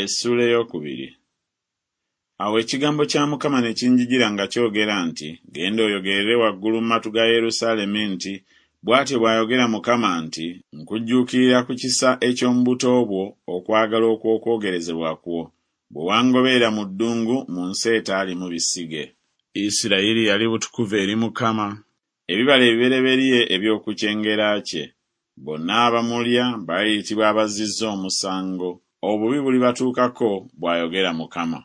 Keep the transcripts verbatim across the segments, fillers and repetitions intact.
Essuula ey'okubiri. Awo ekigambo kya Mukama ne kinjijira nga kyogera nti, Genda oyogerere waggulu mu matu ga Yerusaalemi nti, Bw'atyo bw'ayogera Mukama nti, Nkujjuukirira ku kisa eky'omu buto bwo, okwagala okw'okwogerezebwa kwo, bwe wangoberera mu ddungu mu nsi etaalimu bisige. Isirayiri yali butukuvu eri Mukama, ebibala ebibereberye eby'oku kyengera kye. Bonna abamulya baliyitibwa abazzizza omusango, obubi bulibatuukako, bw'ayogera Mukama.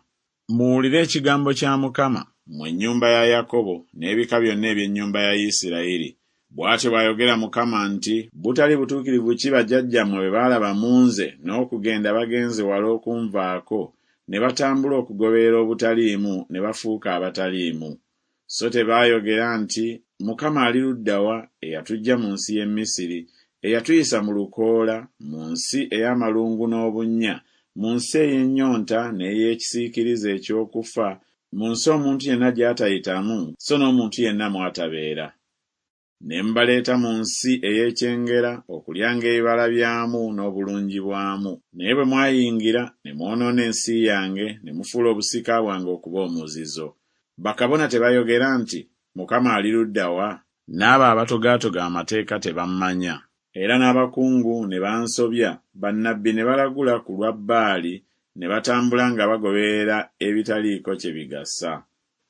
Muwulire ekigambo kya Mukama, mmwe ennyumba ya Yakobo, n'ebika byonna eby'ennyumba ya Isirayiri. Bw'atyo bw'ayogera Mukama nti, Butali butuukirivu ki bajjajjammwe bwe baalaba mu nze n'okugenda bagenze wala okunvaako, ne batambula okugoberera obutaliimu ne bafuuka abataliimu. So tebaayogera nti, Mukama ali ludda wa eyatuggya mu nsi y'e Misiri, eyatuyisa mu lukoola, mu nsi ey'amalungu n'obunnya, mu nsi ey'ennyonta n'ey'ekisiikirize eky'okufa, mu nsi omuntu yenna gy'atayitamu so n'omuntu yenna mw'atabeera. Ne mbaleeta mu nsi ey'ekyengera okulyanga ebibala byamu n'obulungi bwamu. Naye bwe mwayingira ne mwonoona ensi yange ne mufuula obusika bwange okuba omuzizo. Bakabona tebayogera nti, Mukama ali ludda wa? N'abo abatogaatoga amateeka tebammanya. Era n'abakungu ne bansobya, bannabbi ne balagula ku lwa Baali ne batambula nga bagoberera ebitaliiko kye bigasa.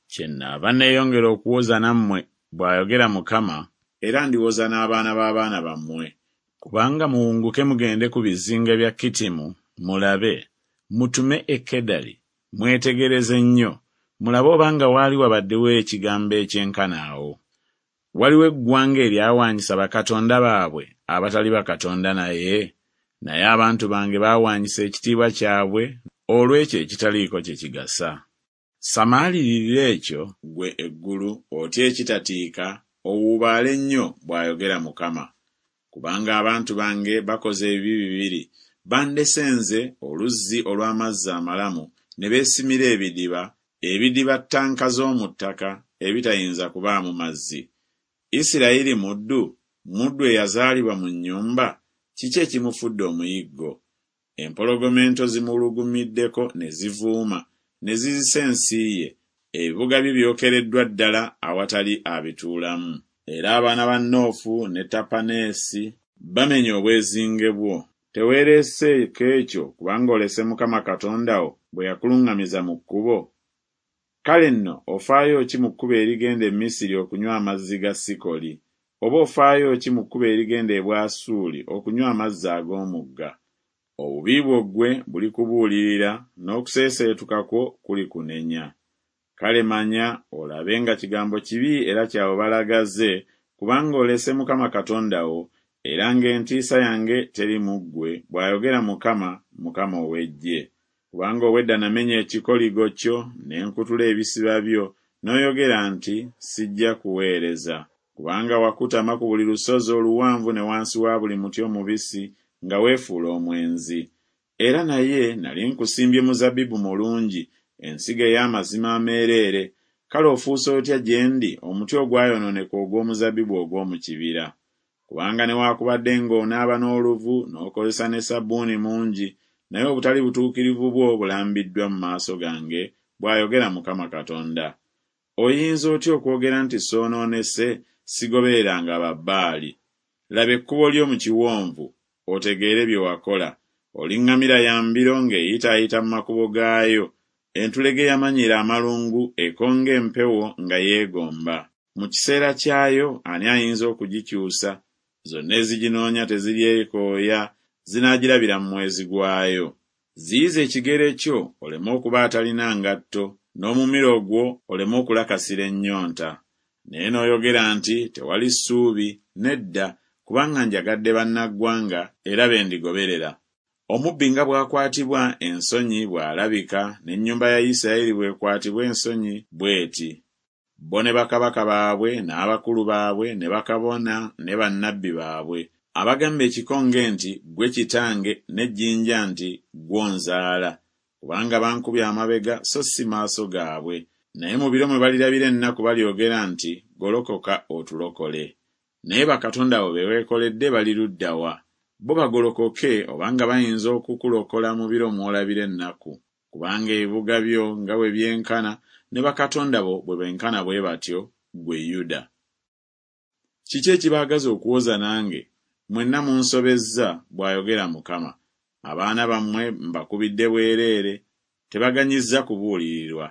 Kyennaava neeyongera okuwoza nammwe, bw'ayogera Mukama, era ndiwoza n'abaana b'abaana bammwe. Kubanga muwunguke mugende ku bizinga bya Kittimu, mulabe, mutume e Kedali, mwetegereze nnyo, mulabe obanga waali wabaddewo ekigambo ekyenkana awo. Waliwo eggwanga eryawaanyisa bakatonda baabwe abatali bakatonda naye? Naye abantu bange baawaanyisa ekitiibwa kyabwe olw'ekyo ekitaliiko kye kigasa. Samaalirira ekyo, ggwe eggulu, otye ekitatiika, owuubaale nnyo, bw'ayogera Mukama. Kubanga abantu bange bakoze ebibi bibiri, bandese nze, oluzzi olw'amazzi amalamu, ne beesimira ebidiba, ebidiba ttanka z'omu ttaka, ebitayinza kubaamu mazzi. Isirayiri muddu, muddu eyazaalibwa mu nnyumba, kiki ekimufudde omuyiggo? Empologoma ento zimuwulugumiddeko ne zivuuma, ne zizisa ensi ye, ebibuga bye byokereddwa ddala awatali abituulamu. Era abaana ba Noofu ne Tapaneesi bamenye obwezinge bwo. Teweereeseeko ekyo kubanga olese Mukama Katonda wo bwe yakuluŋŋamiza mu kkubo? Kale nno ofaayo ki mu kkubo erigenda e Misiri okunywa amazzi ga Sikoli? Oba ofaayo ki mu kkubo erigenda e Bwasuli okunywa amazzi ag'omugga? Obubi bwo ggwe bulikubuulirira, n'okuseeseetuka kwo kulikunenya. Kale manya olabe nga kigambo kibi era kya bubalagaze, kubanga olese Mukama Katonda wo, era ng'entiisa yange teri mu ggwe, bw'ayogera Mukama, Mukama ow'eggye. Kubanga obwedda namenya ekikoligo kyo, ne nkutula ebisiba byo, n'oyogera nti, Sijja kuweereza. Kubanga wakutama ku buli lusozi oluwanvu ne wansi wa buli muti omubisi, nga weefuula omwenzi. Era naye nali nkusimbye muzabbibu mulungi, ensigo ey'amazima ameereere, kale ofuuse otya gye ndi omuti ogwayonooneka ogw'omuzabbibu ogw'omu kibira? Kubanga newaakubadde ng'onaaba n'oluvu n'okozesa ne sabbuuni mungi, naye obutali butuukirivu bwo bulambiddwa mu maaso gange, bw'ayogera Mukama Katonda. Oyinza otya okwogera nti soonoonese, sigobereranga Babbaali? Laba ekkubo lyo mu kiwonvu, otegeere bye wakola. Oli ŋŋamira ya mbiro ng'eyitaayita mu makubo gaayo, entulege eyamanyiira amalungu ekonga empewo nga yeegomba. Mu kiseera kyayo ani ayinza okugikyusa? Zonna eziginoonya teziryekooya, zinaagirabira mu mwezi gwayo. Ziyiza ekigere kyo oleme okuba atalina ngatto, n'omumiro gwo oleme okulakasira ennyonta. Naye n'oyogera nti, Tewali ssuubi, nedda, kubanga njagadde bannaggwanga, era be ndigoberera. Omubbi nga bw'akwatibwa ensonyi bw'alabika, n'ennyumba ya Isirayiri bw'ekwatibwa ensonyi bw'eti. Bo ne bakabaka baabwe n'abakulu baabwe ne bakabona ne bannabbi baabwe, abagamba ekikonge nti, Ggwe kitange, n'ejjinja nti, Ggwe onzaala. Kubanga bankubye amabega so si maaso gaabwe. Naye mu biro mwe balirabira ennaku balyogera nti, Golokoka otulokole. Naye bakatonda bo be weekoledde bali ludda wa? Bo bagolokoke obanga bayinza okukulokola mu biro mw'olabira ennaku. Kubanga ebibuga byo nga bwe byenkana, ne bakatonda bo bwe benkana bwe batyo, ggwe Yuda. Kiki ekibaagaza okuwoza nange, Mwenna munsobezza, bw'ayogera Mukama. Abaana bammwe mbakubidde bwereere, tebaganyizza kubuulirirwa.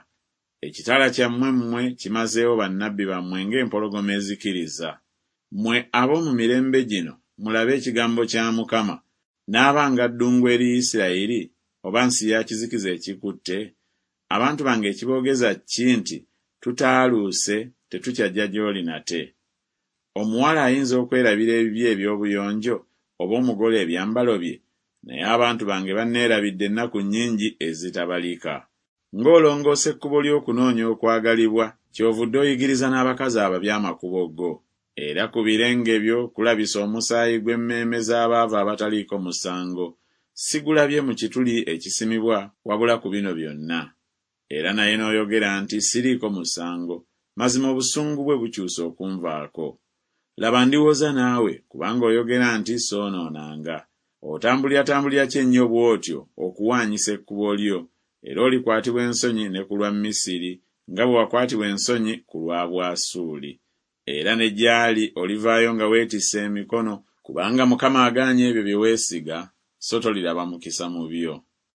Ekitala kyammwe mmwe kimazeewo bannabbi bammwe ng'empologoma ezikiriza. Mmwe ab'omu mirembe gino, mulabe ekigambo kya Mukama. Naabanga ddungu eri Isirayiri, oba nsi ya kizikiza ekikutte? Abantu bange ekiboogeza ki nti Tutaaluuse, tetukyajja gy'oli nate? Omuwala ayinza okwerabira ebibye eby'obuyonjo, oba omugole ebyambalo bye? Naye abantu bange banneerabidde ennaku nnyingi ezitabalika. Ng'olongoosa ekkubo ly'okunoonya okwagalibwa, kyovudde oyigiriza n'abakazi ababi amakubo go. Era ku birenge byo kulabisa omusaayi gw'emmeeme z'abaavu abataliiko musango, sigulabye mu kituli ekisimibwa, wabula ku bino byonna. Era naye n'oyogera nti Siriiko musango, mazima obusungu bwe bukyuse okunvaako. Laba ndiwoza naawe, kubanga oyogera nti Soonoonanga. Otambuliratambulira ki ennyo bw'otyo okuwaanyisa ekkubo lyo? Era olikwatibwa ensonyi ne ku lwa Misiri, nga bwe wakwatibwa ensonyi ku lwa Bwasuuli. Era ne gy'ali olivaayo nga weetisse emikono, kubanga Mukama agaanye ebyo bye weesiga, so toliraba mukisa mu byo.